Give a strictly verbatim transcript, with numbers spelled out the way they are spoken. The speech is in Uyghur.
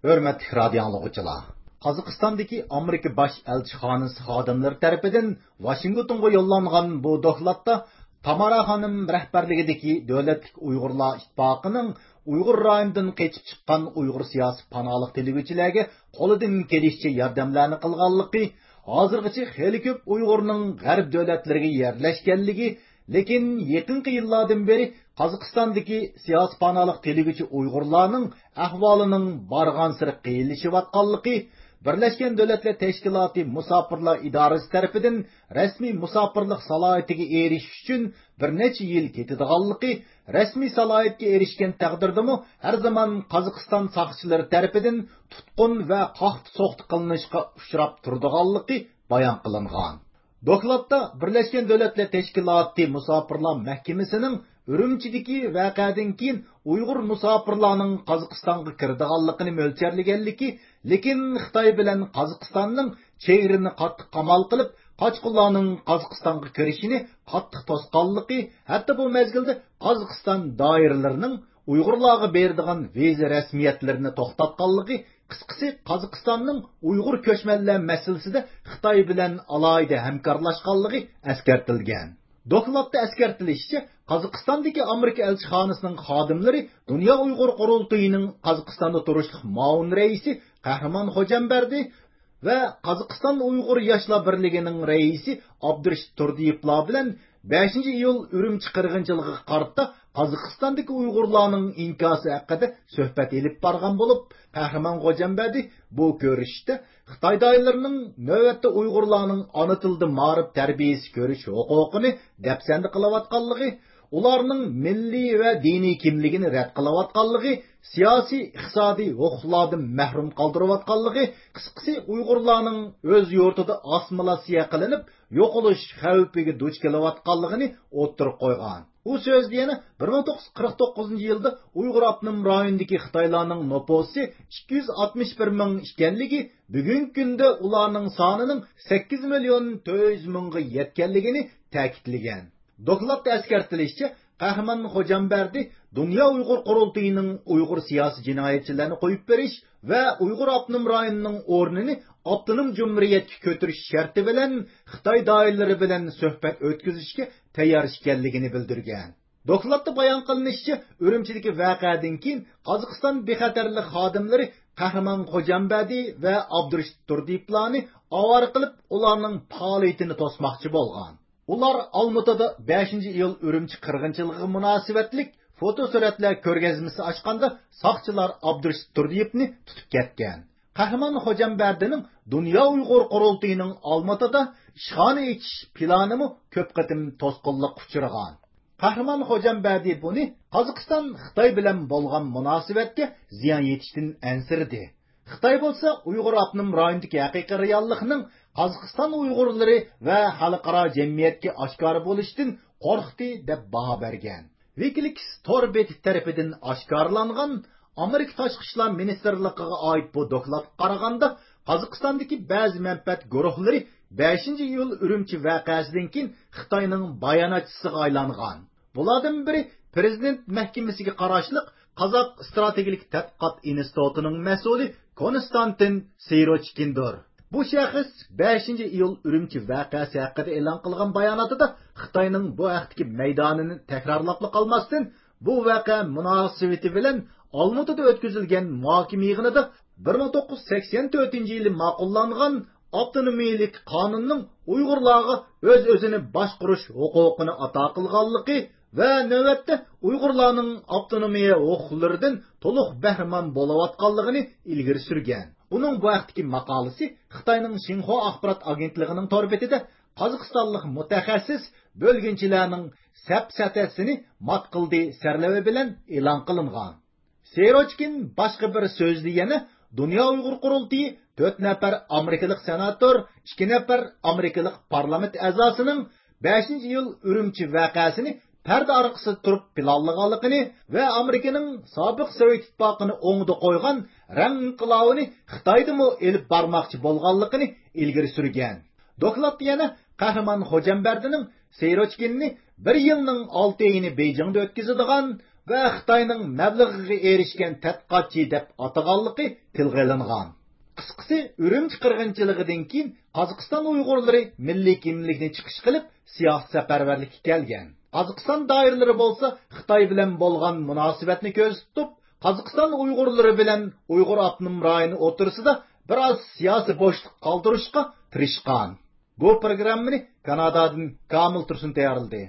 ھۆرمەتلىك رادىيو ئاڭلىغۇچىلار! قازاقىستاندىكى ئامېرىكا باش ئەلچىخانىسى خادىملىرى تەرىپىدىن ۋاشىنگتونغا يوللانغان بۇ دوكلاتتا تامارا خانىم رەھبەرلىكىدىكى دۆلەتلىك ئۇيغۇرلار ئىتتىپاقىنىڭ ئۇيغۇر رايونىدىن قېچىپ چىققان ئۇيغۇر سىياسىي پاناھلىق تىلىگۈچىلەرگە قولىدىن كېلىشىچە ياردەملەرنى قىلغانلىقى، ھازىرغىچە خېلى كۆپ ئۇيغۇرنىڭ غەرب دۆلەتلىرىگە يەرلەشكەنلىكى، لېكىن يېقىنقى يىللاردىن بېرى قازاقىستاندىكى سىياسىي پاناھلىق تىلىگۈچى ئۇيغۇرلارنىڭ ئەھۋالىنىڭ بارغانسېرى قىيىنلىشىۋاتقانلىقى، بىرلەشكەن دۆلەتلەر تەشكىلاتى مۇساپىرلار ئىدارىسى تەرىپىدىن رەسمىي مۇساپىرلىق سالاھىيىتىگە ئېرىشىش ئۈچۈن بىر نەچچە يىل كېتىدىغانلىقى، رەسمىي سالاھىيەتكە ئېرىشكەن تەقدىردىمۇ ھەر زامان قازاقىستان ساقچىلىرى تەرىپىدىن تۇتقۇن ۋە قاقتى-سوقتى قىلىنىشقا ئۇچراپ تۇرىدىغانلىقى بايان قىلىنغان. دوكلاتتا بىرلەشكەن دۆلەتلەر تەشكىلاتى مۇساپىرلار مەھكىمىسىنىڭ ئۈرۈمچىدىكى ۋەقەدىن كېيىن ئۇيغۇر مۇساپىرلارنىڭ قازاقىستانغا كىرىدىغانلىقىنى مۆلچەرلىگەنلىكى، لېكىن خىتاي بىلەن قازاقىستاننىڭ چېگرىنى قاتتىق قامال قىلىپ، قاچقۇنلارنىڭ قازاقىستانغا كىرىشىنى قاتتىق توسقانلىقى، ھەتتا بۇ مەزگىلدە قازاقىستان دائىرىلىرىنىڭ ئۇيغۇرلارغا بېرىدىغان ۋىزا رەسمىيەتلىرىنى توختاتقانلىقى، قىسقىسى، قازاقىستاننىڭ ئۇيغۇر كۆچمەنلەر مەسىلىسىدە خىتاي بىلەن ئالاھىدە ھەمكارلاشقانلىقى ئەسكەرتىلگەن. دوكلاتتا ئەسكەرتىلىشىچە، قازاقىستاندىكى ئامېرىكا ئەلچىخانىسىنىڭ خادىملىرى دۇنيا ئۇيغۇر قۇرۇلتىيىنىڭ قازاقىستاندا تۇرۇشلۇق مۇئاۋىن رەئىسى قەھرىمان خوجامبەردى ۋە قازاقىستان ئۇيغۇر ياشلار بىرلىكىنىڭ رەئىسى ئابدۇرېشىت تۇردىيېۋلار بىلەن بەشىنچى ئىيۇل ئۈرۈمچى قىرغىنچىلىقىغا قارىتا قازاقىستاندىكى ئۇيغۇرلارنىڭ ئىنكاسى ھەققىدە سۆھبەت ئېلىپ بارغان بولۇپ، قەھرىمان خوجامبەردى بۇ كۆرۈشۈشتە خىتاي دائىرىلىرىنىڭ نۆۋەتتە ئۇيغۇرلارنىڭ ئانا تىلدا مائارىپ تەربىيەسى كۆرۈش ھوقۇقىنى دەپسەندە قىلىۋاتقانلىقى، ئۇلارنىڭ مىللىي ۋە دىنىي كىملىكىنى رەت قىلىۋاتقانلىقى، سىياسىي، ئىقتىسادىي ھوقۇقلاردىن مەھرۇم قالدۇرۇۋاتقانلىقى، قىسقىسى، ئۇيغۇرلارنىڭ ئۆز يۇرتىدا ئاسسىمىلياتسىيە قىلىنىپ، يوقىلىش خەۋپىگە دۇچ كېلىۋاتقانلىقىنى ئوتتۇرىغا قويغان. ئۇ سۆزىدە يەنە بىر مىڭ توققۇز يۈز قىرىق توققۇزىنچى يىلدا ئۇيغۇر ئاپتونوم رايونىدىكى خىتايلارنىڭ نوپۇسى ئىككى يۈز ئاتمىش بىر مىڭ ئىكەنلىكى، بۈگۈنكى كۈندە ئۇلارنىڭ سانىنىڭ سەككىز مىليون تۆت يۈز مىڭغا يەتكەنلىكىنى تەكىتلىگەن. دوكلاتتا ئەسكەرتىلىشىچە، قەھرىمان خوجامبەردى دۇنيا ئۇيغۇر قۇرۇلتىيىنىڭ ئۇيغۇر سىياسىي جىنايەتچىلەرنى قويۇپ بېرىش ۋە ئۇيغۇر ئاپتونوم رايونىنىڭ ئورنىنى ئاپتونوم جۇمھۇرىيەتكە كۆتۈرۈش شەرتى بىلەن خىتاي دائىرىلىرى بىلەن سۆھبەت ئۆتكۈزۈشكە تەييار ئىكەنلىكىنى بىلدۈرگەن. دوكلاتتا بايان قىلىنىشىچە، ئۈرۈمچىدىكى ۋەقەدىن كېيىن قازاقىستان بىخەتەرلىك خادىملىرى قەھرىمان خوجامبەردى ۋە ئابدۇرېشىت تۇردىيېۋلارنى ئاۋارە قىلىپ، ئۇلارنىڭ پائالىيىتىنى توسماقچى بولغان. ئۇلار ئالمۇتىدا بەشىنچى ئىيۇل ئۈرۈمچى قىرغىنچىلىقىغا مۇناسىۋەتلىك فوتو سۈرەتلەر كۆرگەزمىسى ئاچقاندا، ساقچىلار ئابدۇرېشىت تۇردىيېۋنى تۇتۇپ كەتكەن. قەھرىمان خوجامبەردىنىڭ دۇنيا ئۇيغۇر قۇرۇلتىيىنىڭ ئالمۇتىدا ئىشخانا ئېچىش پىلانىمۇ كۆپ قېتىم توسقۇنلۇققا ئۇچرىغان. قەھرىمان خوجامبەردى بۇنى قازاقىستان خىتاي بىلەن بولغان مۇناسىۋەتكە زىيان يېتىشتىن ئەنسىرىدى. خىتاي بولسا ئۇيغۇر ئاپتونوم رايونىدىكى ھەقىقىي رېئاللىقنىڭ قازاقىستان ئۇيغۇرلىرى ۋە خەلقئارا جەمئىيەتكە ئاشكارا بولۇشىدىن قورقتى، دەپ باھا بەرگەن. ۋىكىلىكس تور بېتى تەرىپىدىن ئاشكارىلانغان ئامېرىكا تاشقى ئىشلار مىنىستىرلىقىغا ئائىت بۇ دوكلاتقا قارىغاندا، قازاقىستاندىكى بەزى مەنپەئەت گۇرۇھلىرى بەشىنچى ئىيۇل ئۈرۈمچى ۋەقەسىدىن كېيىن خىتاينىڭ باياناتچىسىغا ئايلانغان. بۇلاردىن بىرى پىرېزىدېنت مەھكىمىسىگە قاراشلىق قازاق ئىستراتېگىيەلىك تەتقىقات ئىنستىتۇتىنىڭ مەسئۇلى كونستانتىن سىروچكىندۇر. بۇ شەخس بەشىنچى ئىيۇل ئۈرۈمچى ۋەقەسى ھەققىدە ئېلان قىلغان باياناتىدا خىتاينىڭ بۇ ھەقتىكى مەيدانىنى تەكرارلاپلا قالماستىن، بۇ ۋەقە مۇناسىۋىتى بىلەن ئالمۇتىدا ئۆتكۈزۈلگەن مۇھاكىمە يىغىنىدا بىر مىڭ توققۇز يۈز سەكسەن تۆتىنچى يىلى ماقۇللانغان ئاپتونومىيەلىك قانۇننىڭ ئۇيغۇرلارغا ئۆز-ئۆزىنى باشقۇرۇش ھوقۇقىنى ئاتا قىلغانلىقى ۋە نۆۋەتتە ئۇيغۇرلارنىڭ ئاپتونومىيە ھوقۇقلىرىدىن تولۇق بەھرىمەن بولۇۋاتقانلىقىنى ئىلگىرى سۈرگەن. ئۇنىڭ بۇ ھەقتىكى ماقالىسى خىتاينىڭ شىنخۇا ئاخبارات ئاگېنتلىقىنىڭ تور بېتىدە قازاقىستانلىق مۇتەخەسسىس بۆلگۈنچىلەرنىڭ سەپسەتەسىنى مات قىلدى سەرلەۋھە بىلەن ئېلان قىلىنغان. سېروچكىن باشقا بىر سۆزىدە يەنە دۇنيا ئۇيغۇر قۇرۇلتىيى تۆت نەپەر ئامېرىكىلىق سېناتور، ئىككى نەپەر ئامېرىكىلىق پارلامېنت ئەزاسىنىڭ بەشىنچى ئىيۇل ئۈرۈمچى ۋەقەسىنى پەردە ئارقىسىدا تۇرۇپ پىلانلىغانلىقىنى ۋە ئامېرىكىنىڭ سابىق سوۋېت ئىتتىپاقىنى ئوڭدا قويغان رەڭ ئىنقىلابىنى خىتايدىمۇ ئېلىپ بارماقچى بولغانلىقىنى ئىلگىرى سۈرگەن. دوكلاتتا يەنە قەھرىمان خوجامبەردىنىڭ سېروچكىننى بىر يىلنىڭ ئالتە ئېيىنى بېيجىڭدا ئۆتكۈزىدىغان ۋە خىتاينىڭ مەبلىغىگە ئېرىشكەن تەتقىقاتچى دەپ ئاتىغانلىقى تىلغا ئېلىنغان. قىسقىسى، ئۈرۈمچى قىرغىنچىلىقىدىن كېيىن قازاقىستان ئۇيغۇرلىرى مىللىي كىملىكنى چىقىش قىلىپ، سىياسىي سەپەرۋەرلىككە كەلگەن. قازاقىستان دائىرىلىرى بولسا خىتاي بىلەن بولغان مۇناسىۋەتنى كۆزدە تۇتۇپ، قازاقىستان ئۇيغۇرلىرى بىلەن ئۇيغۇر ئاپتونوم رايونى ئوتتۇرىسىدا بىر ئاز سىياسىي بوشلۇق قالدۇرۇشقا تىرىشقان. بۇ پروگراممىنى كانادادىن كامىل تۇرسۇن تەييارلىدى.